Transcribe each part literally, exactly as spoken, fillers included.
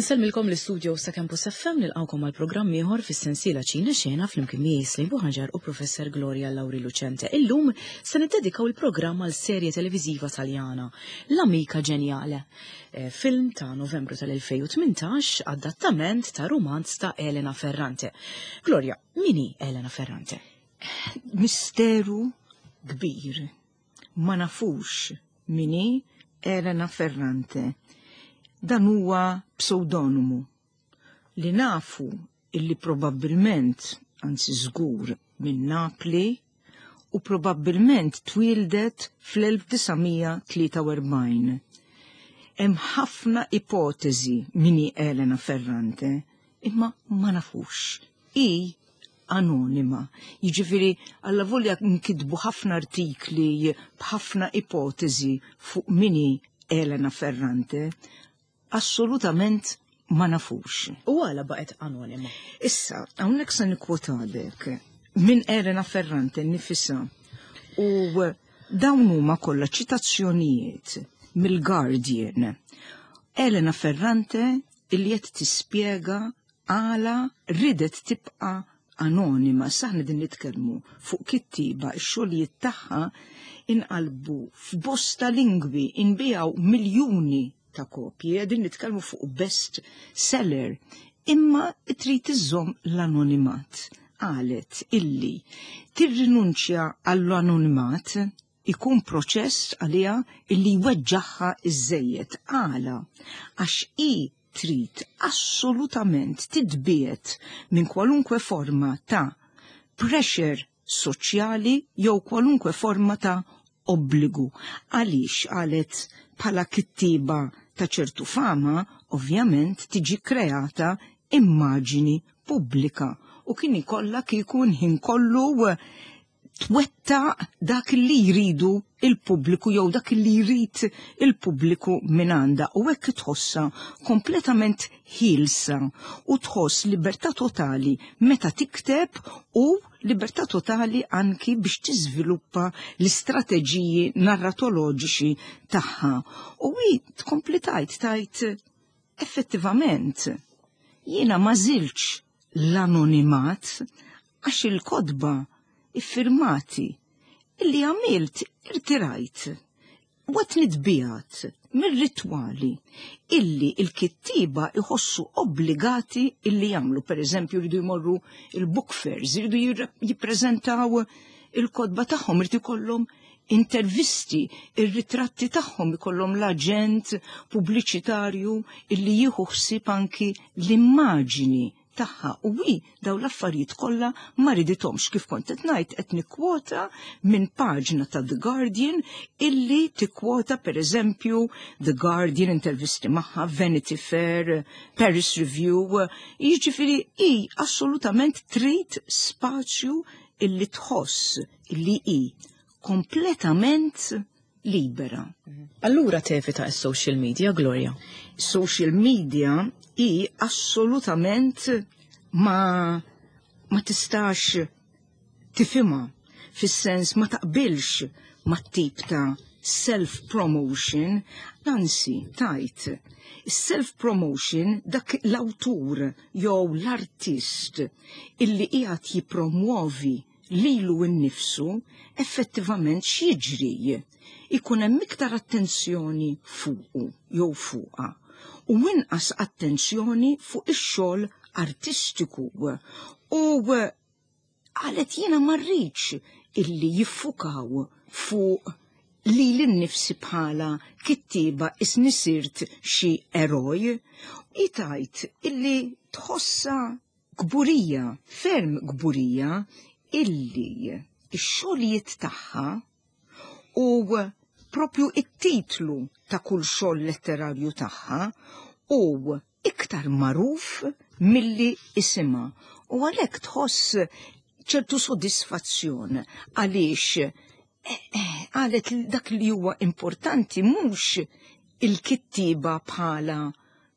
Insellmilkom l-istudio sa' Campus F M, nilqgħukom għal programm ieħor fis-sensiela Ċina Xena flimkien miegħi Slim Buħaġar u Professor Gloria Lauri Lucente. Illum se niddedikaw il-programm għal serje televiżiva Taljana, L'Amica Geniale. Eh, film ta' Novembru tal-elfejn u tmintax, adattament ta' romanz ta' Elena Ferrante. Gloria, min hi Elena Ferrante? Misteru kbir. Ma nafux min hi Elena Ferrante. Dan huwa pseudonimu li nafu illi probabbilment, anzi żgur, minn Napli u probabbilment twildet fl-elf disa' mija tlieta u erbgħin. Hemm ħafna ipotezi min hi Elena Ferrante, imma ma nafux. Hi anonima. Jiġifieri allavolja nkitbu ħafna artikli b'ħafna ipotezi fuq min hi Elena Ferrante, assolutament ma nafux. U għala baqgħet anonima? Issa, hawnhekk se nikkwotalek minn Elena Ferrante nifisha u dawn huma kollha ċitazzjonijiet mill-Guardian. Elena Ferrante illi qed tispjega għala ridet tibqa' anonima. Aħna din nitkellmu fuq kittiba x-xogħlijiet tagħha inqalbu f'bosta lingwi, inbiegħu miljuni ta' kopji, qegħdin nitkellmu fuq best seller, imma trid iżżomm l-anonimat. Qalet illi tirrinunċja għall-anonimat ikun proċess għalija illi jweġġagħha iżżejjed. Għala? Għax i trid assolutament titbiegħed minn kwalunkwe forma ta' pressure soċjali jew kwalunkwe forma ta' obbligu. Għaliex qalet bħala kittiba ta' ċertu fama, ovvjament tiġi kreata immaġini pubblika u kien ikollha kieku ħin kollu twettaq dak li jridu il-pubbliku jew dak li jrid il-pubbliku minn għandha, u hekk tħossha kompletament ħielsa u tħoss libertà totali meta tikteb u libertà totali anki biex tiżviluppa l-istrateġiji narratoloġiċi tagħha. U hi tkompli tajt tajt effettivament jiena ma żilx l-anonimat għax il-kotba iffirmati illi għamilt irtirajt u qed nitbiegħed mir-ritwali illi il-kittiba iħossu obbligati illi jagħmlu. Per eżempju, jridu jmorru il-book fairs, jridu jippreżentaw il-kotba tagħhom, jridu jkollhom intervisti, ir-ritratti tagħhom, ikollhom l-aġent pubbliċitarju illi jieħu ħsieb anki l-immaġini tagħha, u hi daw l-affarijiet kollha ma ridithomx. Kif kont qed ngħid, qed nikkwota minn paġna ta' The Guardian illi tikkwota, per eżempju, The Guardian, intervisti magħha, Vanity Fair, Paris Review, jiġifieri hi assolutament trid spazju illi tħoss illi hi kompletament libera. Allura tevita s-social media, Gloria? Social media hi assolutament ma ma tistax tifhimha, fis-sens ma taqbilx ma tip ta' self-promotion, anzi tajt self-promotion, dak l-awtur jew l-artist illi qiegħed jippromuovi lilu nnifsu, effettivament x'jiġri? Ikun hemm iktar attenzjoni fuqu jew fuqha u inqas attenzjoni fuq ix-xogħol artistiku. U qalet jiena ma rridx illi jiffukaw fuq li l-nifsi bħala kittiba isni sirt xi eroj. Itajt illi tħossa kburija, ferm kburija, illi x-xogħlijiet tagħha u propju it-titlu ta' kull xogħol letterarju tagħha u iktar magħruf milli isimha. U għalhekk tħoss ċertu sodisfazzjon għaliex eh, eh, qalet dak li huwa importanti mhux il-kittiba bħala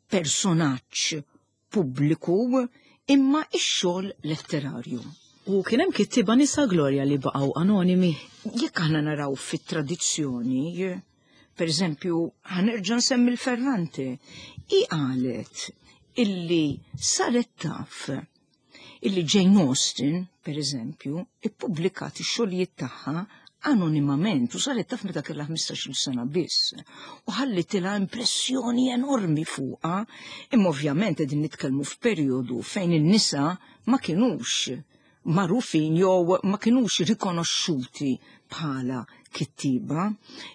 personaġġ pubbliku imma ix-xogħol letterarju. U kien hemm kittiba nisa, Gloria, li baqgħu anonimi? Jekk aħna naraw fit-tradizzjoni, per eżempju, ħa nerġa' nsemmi l-Ferrante, i qalet Illi saret taf illi Jane Austen, per eżempju, ippubblikat ix-xogħlijiet tagħha anonimament u saret taf meta kellha ħmistax-il sena biss. U ħallitilha impressjoni enormi fuqha, imma ovvjament qegħdin nitkellmu f'perjodu fejn in-nisa ma kinux magħrufin jew ma kinux rikonoxxuti bħala kittiba.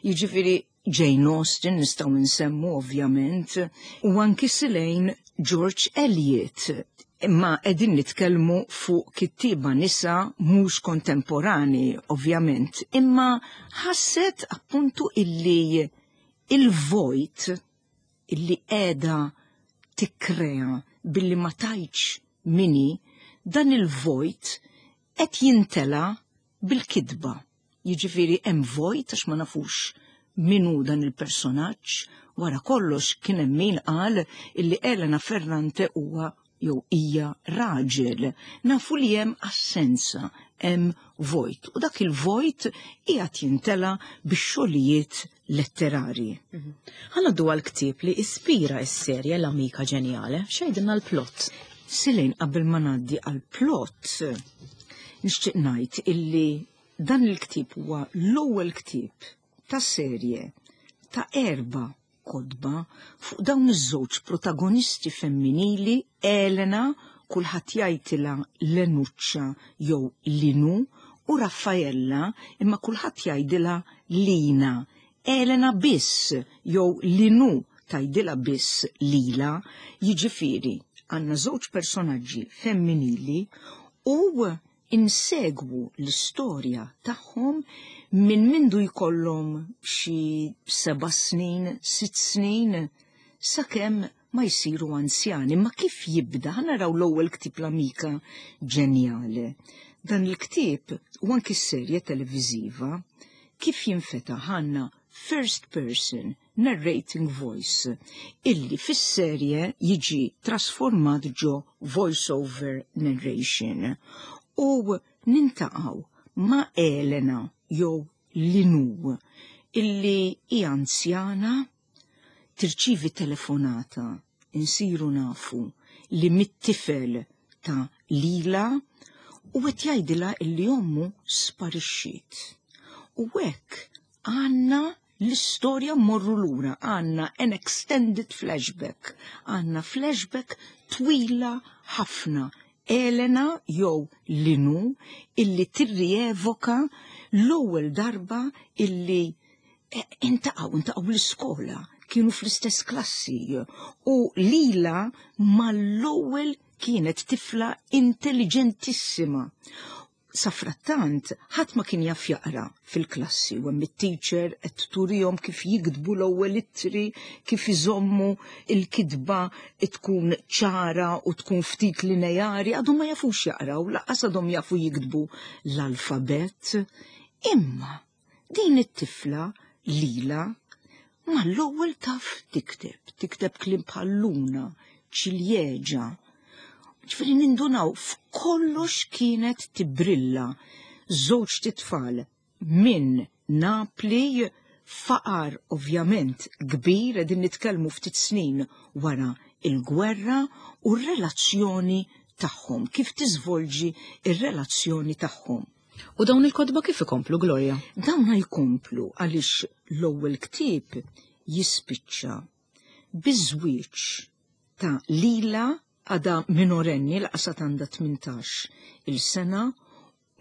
Jiġifieri Jane Austen nistgħu nsemmu ovvjament, u anki Silejn George Eliot. Imma qegħdin nitkellmu fuq kittiba nisa mhux kontemporani, ovvjament, imma ħasset appuntu illi il-vojt illi qiegħda tikkrea billi ma tgħidx min hi, dan il-vojt qed jintela bil-kidba. Jiġifieri hemm vojt għax ma nafux min hu dan il-personaġġ, wara kollox kien hemm min qal illi Elena Ferrante huwa jew hija raġel. Nafu li hemm assenza, hemm vojt. U dak il-vojt qiegħed jintela bix-xogħlijiet letterari. Ħa ngħaddu għall-ktieb li ispira s-serje L-Amika Ġenjale, x'jgħidilna l-plot? Silejn, qabel ma ngħaddi għall-plot, nixtieq ngħid illi dan il-ktieb huwa l-ewwel ktieb ta' serje ta' erba' kotba fuq dawn iż-żewġ protagonisti femminili, Elena, kulħadd jgħidilha Lenuccia jew Linu, u Raffaella, imma kulħadd jgħidilha Lina. Elena biss jew Linu tgħidilha biss Lila, jiġifieri għandna żewġ personaġġi femminili u insegwu l-istorja tagħhom minn mindu jkollhom xi seba' snin, sitt snin, sakemm ma jsiru anzjani. Ma kif jibda, ħa naraw l-ewwel ktieb L-Amika Ġenjale. Dan il-ktieb u anki s-serje televiżiva kif jinfetaħ għandna first person narrating voice illi fis-serje jiġi trasformat ġo voice-over narration u niltaqgħu ma' Elena jew Linu illi hija anzjana, tirċivi telefonata, insiru nafu li mit-tifel ta' Lila u qed jgħidilha illi ommu sparixxiet. U hekk għandna l-istorja mmorru lura, għandna an extended flashback, għandna flashback twila ħafna. Elena jew Linu illi tirrievoka l-ewwel darba illi iltaqgħu, iltaqgħu l-iskola, kienu fl-istess klassi u Lila mal-ewwel kienet tifla intelligentissima. Safrattant, ħadd ma kien jaf jaqra fil-klassi u hemm it-teacher qed turihom kif jiktbu l-ewwel ittri, kif iżommu il-kitba tkun ċara u tkun ftit lineari, għadhom ma jafux jaqraw, lanqas għadhom jafu jiktbu l-alfabet. Imma din it-tifla Lila mal-ewwel taf tikteb, tikteb kliem bħal luna, ċiljeġa. Ġifieri nindunaw f'kollox kienet tibrilla. Żewġ tfal minn Napli, faqar ovvjament kbir, qegħdin nitkellmu ftit snin wara il-gwerra u r-relazzjoni tagħhom, kif tiżvolġi ir-relazzjoni tagħhom. U dawn il-kotba kif ikomplu, Gloria? Dawn jkomplu għaliex l-ewwel ktieb jispiċċa biż-żwieġ ta' Lila, għadha minorenni, lanqas għandha tmintax il-sena,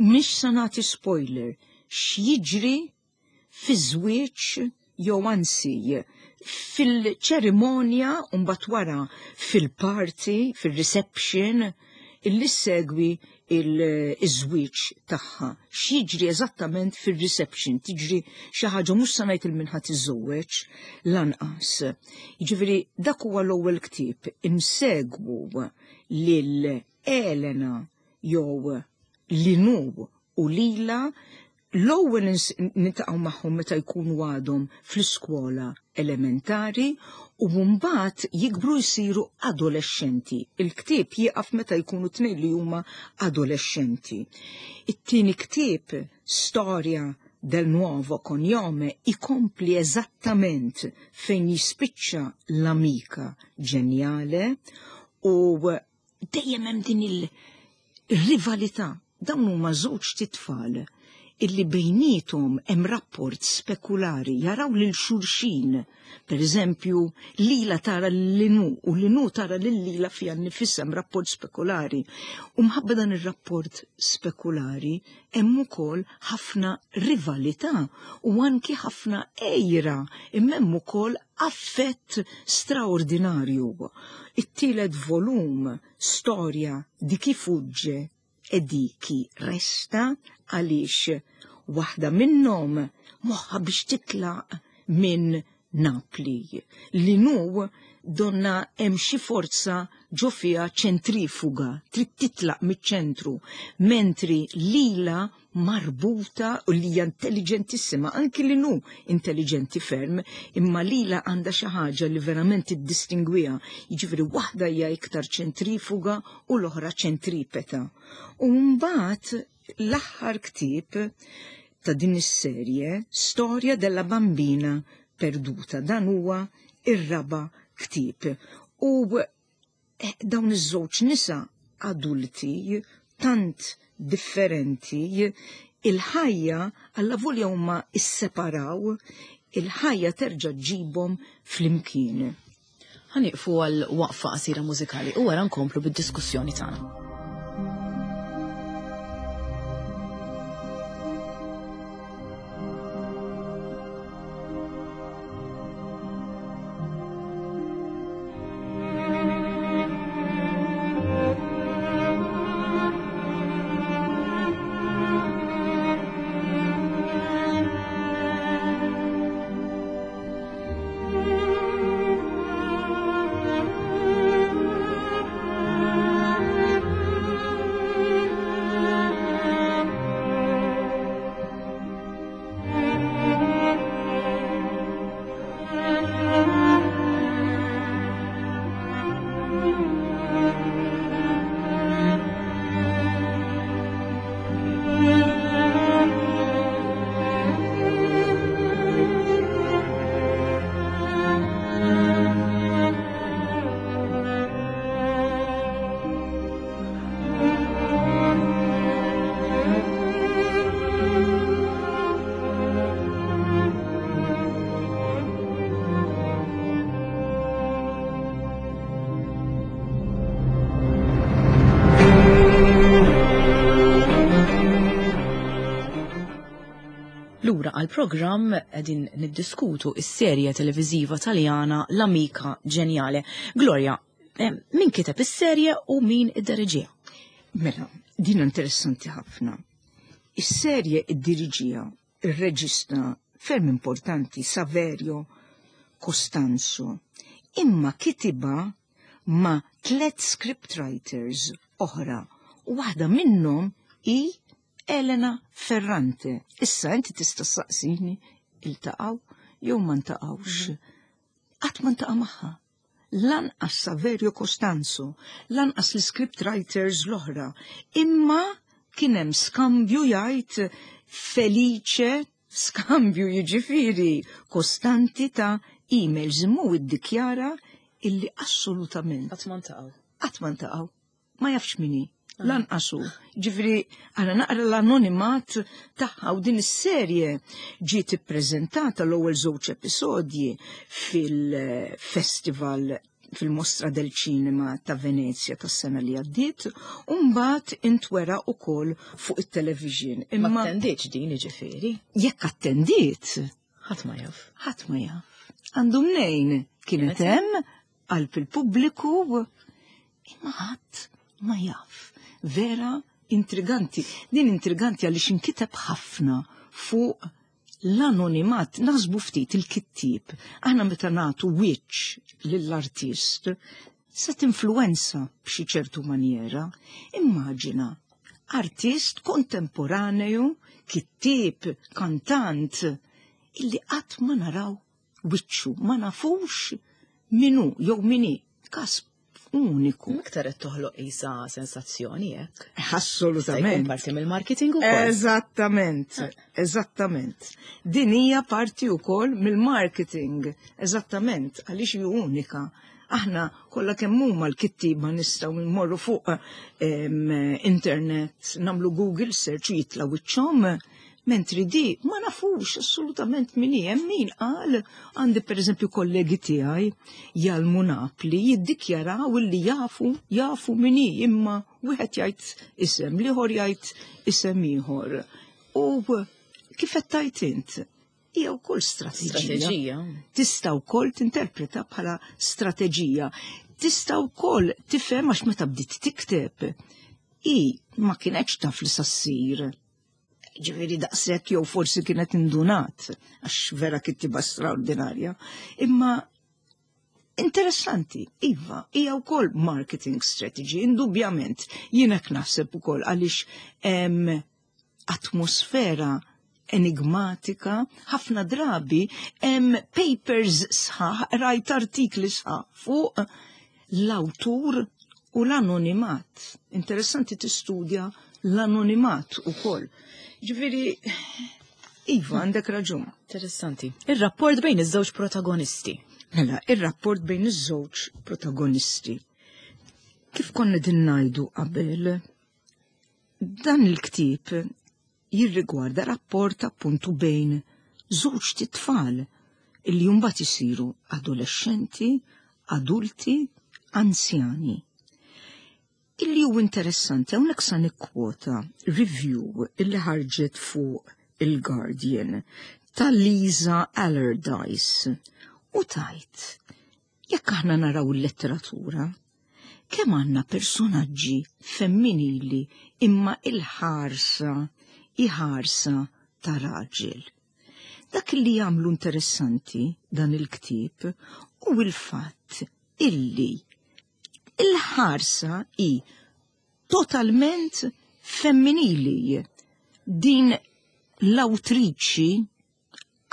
mhix se nagħti spoiler x'jiġri fi żwieġ jew anzi fil-ċerimonja u mbagħad wara fil-party, fil-reception illi segwi il-żwieġ tagħha. X'jiġri eżattament fil-reception, tiġri xi ħaġa, mhux se ngħid lil min ħa tiżżewweġ lanqas. Jiġifieri dak huwa l-ewwel ktieb, insegwu lil Elena jew Linu u Lila. L-ewwel niltaqgħu magħhom meta jkunu għadhom fl-iskola elementari u mbagħad jikbru jsiru adolescenti. Il-ktieb jieqaf meta jkunu tnejn li huma adolescenti. It-tieni ktieb, Storia del Nuovo Cognome, ikompli eżattament fejn jispiċċa L-Amika Ġenjale. U dejjem hemm din il-rivalità. Dawn huma żewġ titfal illi bejnietom hemm rapport spekulari, jaraw lil xulxin. Per eżempju, Lila tara l-Linu u Linu tara lil Lila fiha nnifisha, hemm rapport spekulari. U mħabba dan ir-rapport spekulari hemm ukoll ħafna rivalità u anki ħafna għira, imma hemm ukoll affett straordinarju. It-tielet volum, Storia di chi fugge e di chi resta, għaliex waħda minnhom moħħa biex titlaq minn Napli. Linu donna hemm xi forza ġo fiha ċentrifuga, trid titlaq miċ-ċentru, mentri Lila marbuta u li hija intelligentissima, anki Linu intelligenti ferm, imma Lila għandha xi ħaġa li verament tiddistingwiha, jiġifieri waħda hija iktar ċentrifuga u l-oħra ċentripeta. U mbagħad l-aħħar ktieb ta' din is-serje, Storia della bambina perduta, dan huwa ir-raba' ktieb. U eh, dawn iż-żewġ nisa adulti tant differenti, il-ħajja allavolja huma isseparaw, il-ħajja terġa' ġġibhom flimkien. Ħa nieqfu għal waqfa qasira mużikali u wara nkomplu bid-diskussjoni tagħna. Lura għal-programm qegħdin niddiskutu is-serje televiżiva Taljana L'Amica Geniale. Gloria, eh, min kiteb is-serje u min idderiġiha? Mela, din interessanti ħafna. Is-serje iddiriġiha ir-reġista ferm importanti Saverio Costanzo, imma kitiba ma' tlet scriptwriters oħra u waħda minnhom hi Elena Ferrante. Issa inti tista' ssaqsini iltaqgħu jew ma ntaqgħux. Qatt ma ntaqa' magħha. Lanqas Saverio Costanzo, lanqas l-script writers l-oħra. Imma kien hemm skambju jgħid Felice, skambju jiġifieri kostanti ta' emails, imma hu iddikjara illi assolutament Qatt ma ntaqgħu. Qatt ma ntaqgħu. Ma jafx min hi. Lanqas hu. Ġifieri, għana naqra l-anonimat tagħha u din is-serje ġiet ippreżentata l-ewwel żewġ episodji fil-festival fil-Mostra del Cinema ta' Venezia tas-sena li għaddiet, u mbagħad intwera wkoll fuq it-television. Imma ma attendietx din jiġifieri. Jekk attendiet, ħadd ma jaf. Ħadd ma jaf. Għandu mnejn kienet hemm qalb il-pubbliku, imma ħadd ma jaf. Vera intriganti. Din intriganti għaliex inkiteb ħafna fuq l-anonimat, naħsbu ftit il-kittieb. Aħna meta nagħtu wiċċ lill-artist, se tinfluwenza b'xi ċertu maniera. Immaġina artist kontemporaneju, kittieb, kantant, illi qatt ma naraw wiċċu, ma nafux minu jew mini. Kas uniku. Iktar qed toħloq isa sensazzjoni hekk. Assolutament. Parti mill-marketing ukoll. Eżattament, eżattament. Din hija parti wkoll mill-marketing, eżattament, għaliex hi unika. Aħna kollha kemm huma l-kittieba nistgħu nmorru fuq internet, nagħmlu Google search u jitla' wiċċhom, mentri di ma nafux assolutament min hi. Hemm min qal, għandi pereżempju kollegi tiegħi jgħallmu Napli jiddikjaraw li jafu jafu min hi, imma wieħed jgħid isem, l-ieħor jgħid isem ieħor. U kif qed tgħid int, hija wkoll strateġija. Strateġija. Tista' wkoll tinterpreta bħala strateġija. Tista' wkoll tifhem għax meta bdiet tikteb, hi ma kienetx taf li sa ssir. Ġifieri daqshekk, jew forsi kienet indunat, għax vera kittiba straordinarja. Imma interessanti, iva, hija wkoll marketing strategy, indubjament. Jien hekk naħseb ukoll għaliex hemm atmosfera enigmatika, ħafna drabi hemm papers sħaħ, rajt artikli sħaħ fuq l-awtur u l-anonimat. Interessanti tistudja l-anonimat ukoll. Ġifieri, iva, għandek raġun. Interessanti. Ir-rapport bejn iż-żewġ protagonisti. Mela, ir-rapport bejn iż-żewġ protagonisti. Kif konna din ngħidu qabel, dan il-ktieb jirrigwarda rapport appuntu bejn żewġ tfal illi mbagħad isiru adolescenti, adulti, anzjani. Illi hu interessanti, hawnhekk sa nikkwota review illi ħarġet fuq il-Guardian ta' Lisa Allardyce u tgħid, jekk aħna naraw il-letteratura, kemm għandna personaġġi femminili imma il-ħarsa iħarsa ta' raġel. Dak li jagħmlu interessanti dan il-ktieb u il-fatt illi il-ħarsa hi totalment femminili. Din l-awtriċi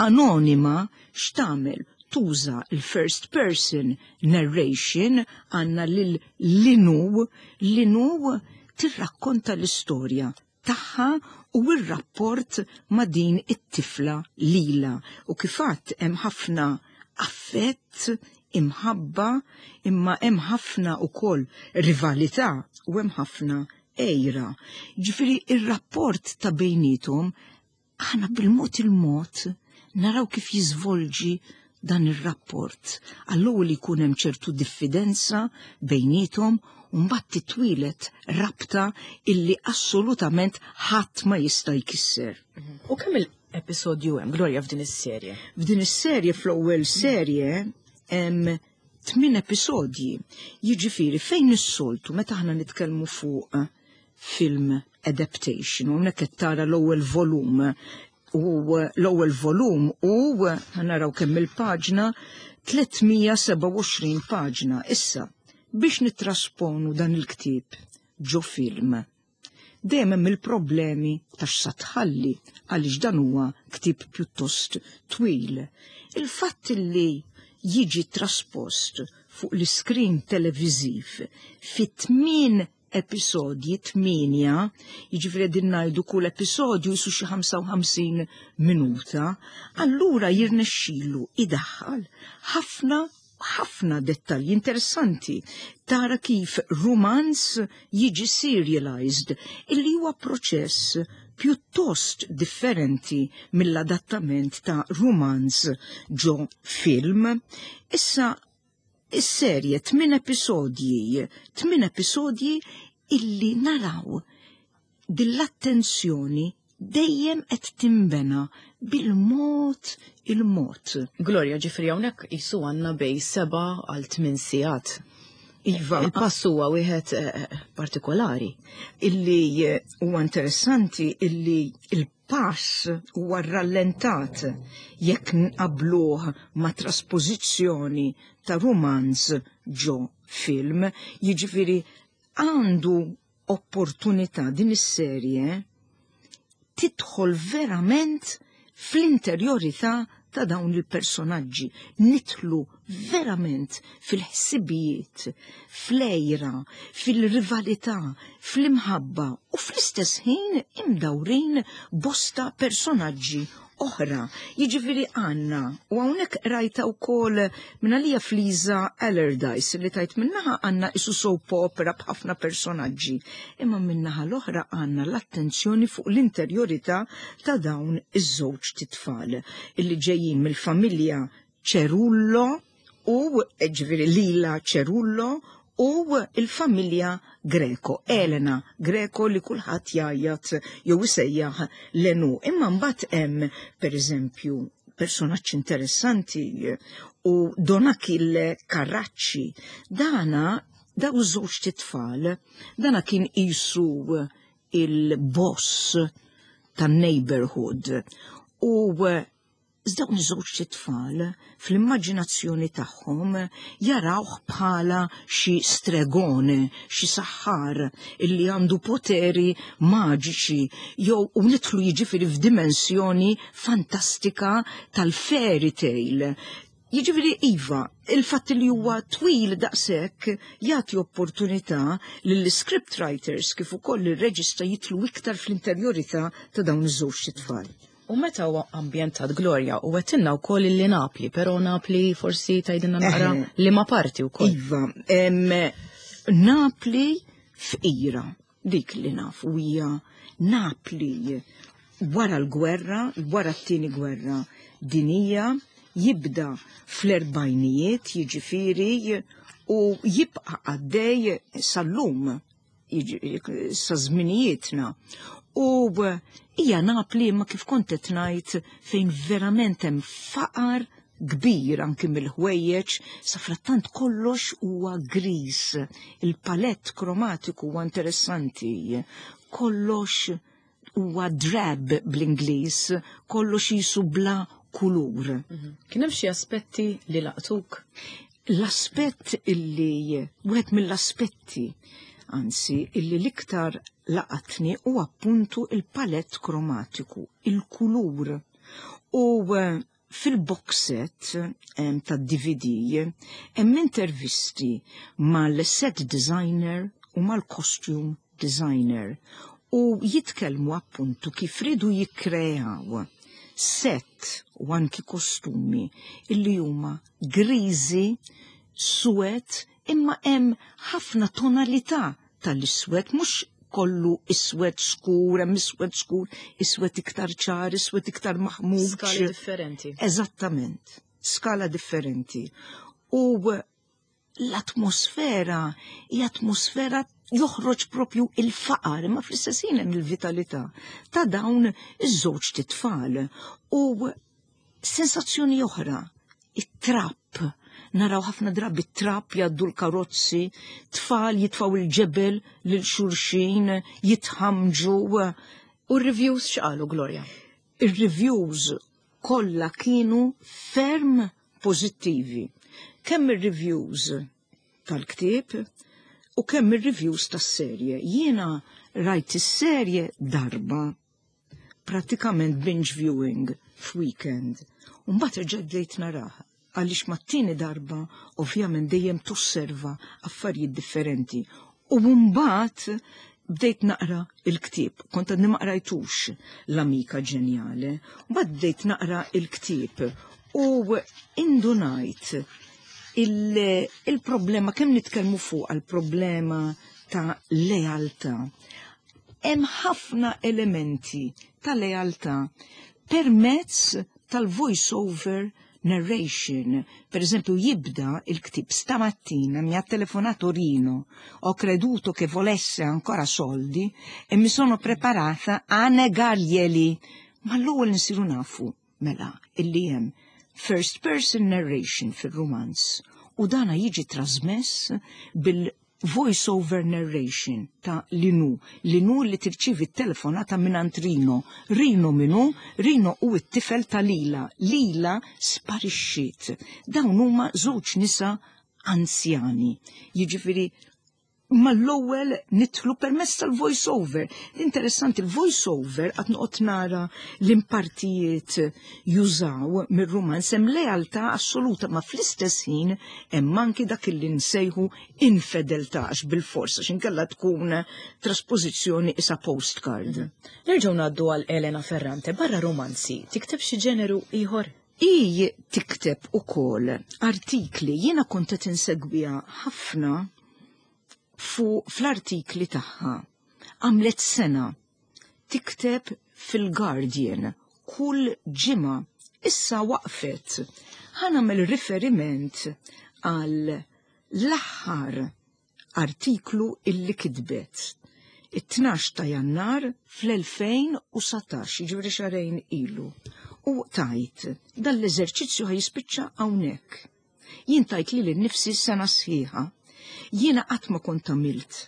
anonima x'tagħmel? Tuża il-first person narration, għandna lil Linu, Linu tirrakkonta l-istorja tagħha u r-rapport ma' din it-tifla Lila. U kif għedt hemm ħafna affett, imħabba, imma hemm ħafna ukoll rivalità u hemm ħafna għira. Ġifieri ir-rapport ta' bejnietom aħna bil-mod il-mod naraw kif jiżvolġi dan ir-rapport. Għall-ewwel jkun hemm ċertu diffidenza bejnietom u mbagħad titwieled rabta illi assolutament ħadd ma jista' jkisser. U kemm il-episodju hemm, Gloria, f'din is-serje? F'din is-serje, fl-ewwel serje, hemm tmien episodji. Jiġifieri fejn is-soltu meta aħna nitkellmu fuq film adaptation, u hawnhekk qed tara l-ewwel volum, u l-ewwel volum u naraw kemm il-paġna, tliet mija sebgħa u għoxrin paġna. Issa, biex nitrasponu dan il-ktieb ġo film, dejjem hemm il-problemi ta' x'sa tħalli, għaliex dan huwa ktieb pjuttost twil. Il-fatt li jiġi traspost fuq l-iskrin televiżiv fi tmien episodji, tmienja, jiġifieri din ngħidu kull episodju jisu xi ħamsa u ħamsin minuta, allura jirnexxilu idaħħal ħafna ħafna dettalji interessanti. Tara kif rumanz jiġi serialized, illi huwa proċess pjuttost differenti mill-adattament ta' rumanz ġo film. Issa, is-serje tmien episodji, tmien episodji illi naraw dil-attenzjoni dejjem qed timbena bil-mod il-mod. Gloria, ġifieri hawnhekk qisu għandna bejn seba' għal tmien sigħat. Iva. Il-pass huwa wieħed eh, partikolari. Illi eh, huwa interessanti illi il-pass huwa rallentat jekk nqabluh ma' trasposizzjoni ta' romanz ġo film, jiġifieri għandu opportunità din is-serje tidħol verament fl-interjorità ta' dawn il-personaġġi, nidħlu verament fil-ħsibijiet, fl-għira, fil-rivalità, fl-imħabba u fl-istess ħin imdawrin bosta personaġġi oħra. Jiġifieri għandna, u hawnhekk rajta wkoll minn Fliza Allardyce li tajt min-naħa għandna isu soap opera b'ħafna personaġġi, imma min-naħa l-oħra għandna l-attenzjoni fuq l-interjorità ta' dawn iż-żewġ titfal illi ġejjin mill-familja Cerullo u ġifieri Lila Cerullo u il-familja Greco, Elena Greco li kulħadd jgħajjat jew isejjaħ Lenu. Imma mbagħad hemm pereżempju personaġġ interessanti u Don Achille Carracci. Dana daw żewġ titfal, dana kien isu il-boss tan-neighborhood u dawn iż-żewġ tfal fl-immaġinazzjoni tagħhom jarawh bħala xi stregone, xi saħħar illi għandu poteri maġiċi jew u nidħlu jiġifieri f'dimensjoni fantastika tal-fairy tale. Jiġifieri iva, il-fatt li huwa twil daqshekk jagħti opportunità lill-script writers kif ukoll ir-reġista jidħlu iktar fl-interjorità ta' dawn iż-żewġ tfal. U meta huwa ambjentat, Gloria, u għedtilna wkoll li Napli, però Napli forsi tgħidilna naqra liema parti wkoll. Iva, em, Napli fqira, dik li nafu hija Napli wara l-gwerra, wara t-tieni gwerra dinija, jibda fl-erbajnijiet, jiġifieri, u jibqa' għaddej sal-lum, sa żminijietna. U hija Napli ma kif kont qed ngħid fejn verament hemm faqar kbir anki mill-ħwejjeġ, safrattant kollox huwa gris, il-palett kromatiku huwa interessanti, kollox huwa drab bl-Ingliż, kollox jisu bla kulur. Mhm. Kien hemm xi aspetti li laqtuk? L-aspett illi, wieħed mill-aspetti, anzi, illi l-iktar laqatni u appuntu il-palett kromatiku, il-kulur. U eh, fil-box set ta' D V D hemm intervisti mal-set designer u mal-costume designer u jitkellmu appuntu kif ridu jikkreaw set u anki kostumi illi huma griżi, suwed, imma hemm ħafna tonalità tal-iswed, mhux kollu iswed skur, hemm iswed skur, iswed iktar ċar, iswed iktar maħmuġ. Skali differenti. Eżattament, skala differenti. U l-atmosfera hija atmosfera joħroġ propju il-faqar, imma fl-istess ħin hemm il-vitalità ta' dawn iż-żewġ titfal. U sensazzjoni oħra, it-trap. Naraw ħafna drabi trap jgħaddu l-karozzi, tfal jitfaw il-ġebel lil xulxin, jitħamġu. U r-reviews x'qalu, Gloria? Ir-reviews kollha kienu ferm pożittivi. Kemm ir-reviews tal-ktieb u kemm ir-reviews tas-serje. Jiena rajt is-serje darba, pratikament binge viewing f'weekend. U mbagħad erġa' bdejt naraha għaliex mat-tieni darba ovvjament dejjem tosserva affarijiet differenti. U mbagħad bdejt naqra il-ktieb, kont għadni ma qrajtux L-Amica Geniale, mbagħad bdejt naqra il-ktieb u indunajt il-problema, kemm nitkellmu fuq għal-problema ta' lealtà. Hemm ħafna elementi ta' lealtà permezz tal-voice-over narration. Per esempio, jibda il-ktieb: "Stamattina mi ha telefonato Rino, ho creduto che volesse ancora soldi e mi sono preparata a negarglieli." Ma l-ewwel nsiru nafu mela illi hemm first person narration fil-romanz u dana jiġi trasmess bil voice-over narration ta' Linu. Linu li tirċivi telefonata minn Rino. Rino minu? Rino u t-tifel ta' Lila. Lila sparixxiet. Dawn huma żewġ nisa anzjani. Jiġifieri Mal-ewwel nidħlu permezz tal-voice over. Interessanti, il-voice over qed noqgħod nara l-impartijiet jużaw mir-rumanz, hemm lealtà assoluta, ma fl-istess ħin hemm anki dak li nsejħu infedeltà, għax bil-forsa x'inkella tkun trasposizzjoni isa postcard. Nerġgħu ngħaddu għal Elena Ferrante. Barra romanzi, tikteb xi ġeneru ieħor? I tikteb ukoll artikli. Jiena kont qed insegwiha ħafna fu fl-artikli tagħha. Għamlet sena tikteb fil-Guardian kull ġimgħa. Issa waqfet. Ħa nagħmel riferiment għal l-aħħar artiklu illi kitbet. It-tnax ta' Jannar fl-elfejn u dsatax, jiġifieri xahrejn ilu. U tgħid, "Dan l-eżerċizzju ħa jispiċċa hawnhekk. Jien tajt lili nnifsi sena sħiħa. Jiena qatt ma kont għamilt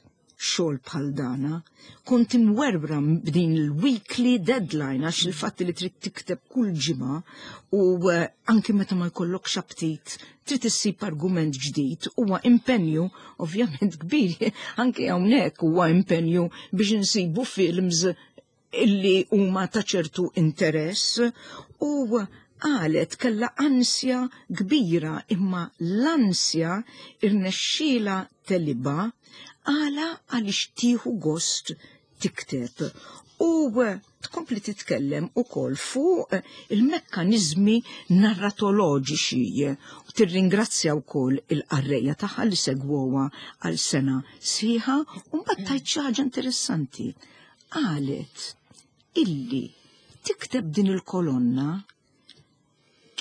xogħol bħal dana, kont imwerwra b'din il-weekly deadline, għax il-fatt li trid tikteb kull ġimgħa u eh, anki meta ma jkollokx aptit trid issib argument ġdid huwa impenju ovvjament kbir. Anki hawnhekk huwa impenju biex insibu films illi huma ta' ċertu interess." U qalet kella ansja kbira, imma l-ansja irnexxiela tegħlibha. Għala? Għaliex tieħu gost tikteb. U tkompli titkellem ukoll fuq il-mekkanizmi narratoloġiċi u tirringrazzja wkoll il-qarrejja tagħha li segwowa għal sena sħiħa, u mbagħad tgħid xi ħaġa interessanti. Qalet illi tikteb din il-kolonna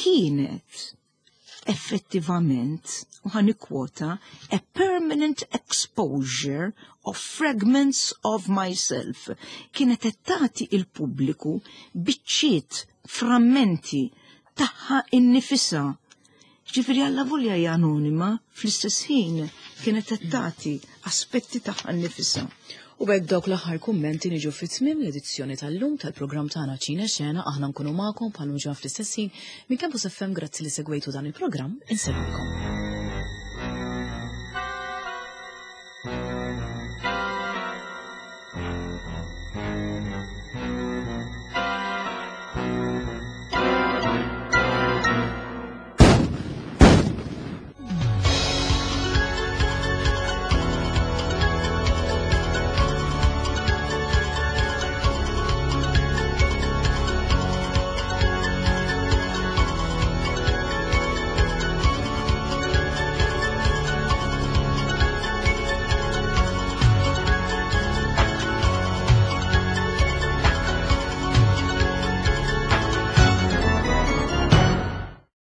kienet effettivament, u ħa nikkwota, "a permanent exposure of fragments of myself". Kienet qed tagħti il-pubbliku biċċiet, frammenti tagħha innifisha. Ġifieri alla volja hija anonima, fl-istess ħin kienet qed tagħti aspetti tagħha nnifisha. U b'hekk dawk l-aħħar kummenti niġu fit-tmiem l-edizzjoni tal-lum tal-programm tagħna Ċine Xena. Aħna nkunu magħkom bħal ġan fl-istess ħin minn Campus F M. Grazzi li segwejtu dan il-programm, insellmilkom.